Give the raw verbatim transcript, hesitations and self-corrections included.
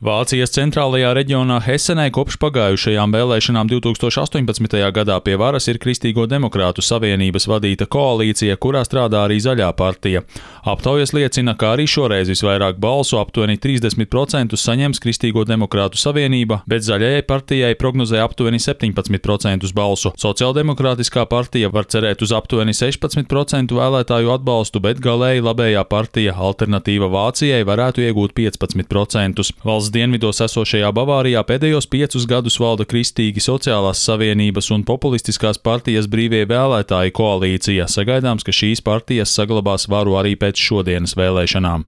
Vācijas centrālajā reģionā Hesenē kopš pagājušajām vēlēšanām divtūkstoš astoņpadsmitajā gadā pie varas ir Kristīgo demokrātu savienības vadīta koalīcija, kurā strādā arī Zaļā partija. Aptaujas liecina, ka arī šoreiz visvairāk balsu, aptuveni trīsdesmit procentus saņems Kristīgo demokrātu savienība, bet Zaļajai partijai prognozē aptuveni septiņpadsmit procentus balsu. Sociāldemokrātiskā partija var cerēt uz aptuveni sešpadsmit procentu vēlētāju atbalstu, bet galēji labējā partija Alternatīva Vācijai varētu iegūt piecpadsmit procentus. Valsts dienvidos esošajā Bavārijā pēdējos piecus gadus valda Kristīgi sociālās savienības un populistiskās partijas brīvie vēlētāji koalīcija. Sagaidāms, ka šīs partijas saglabās varu arī pēc šodienas vēlēšanām.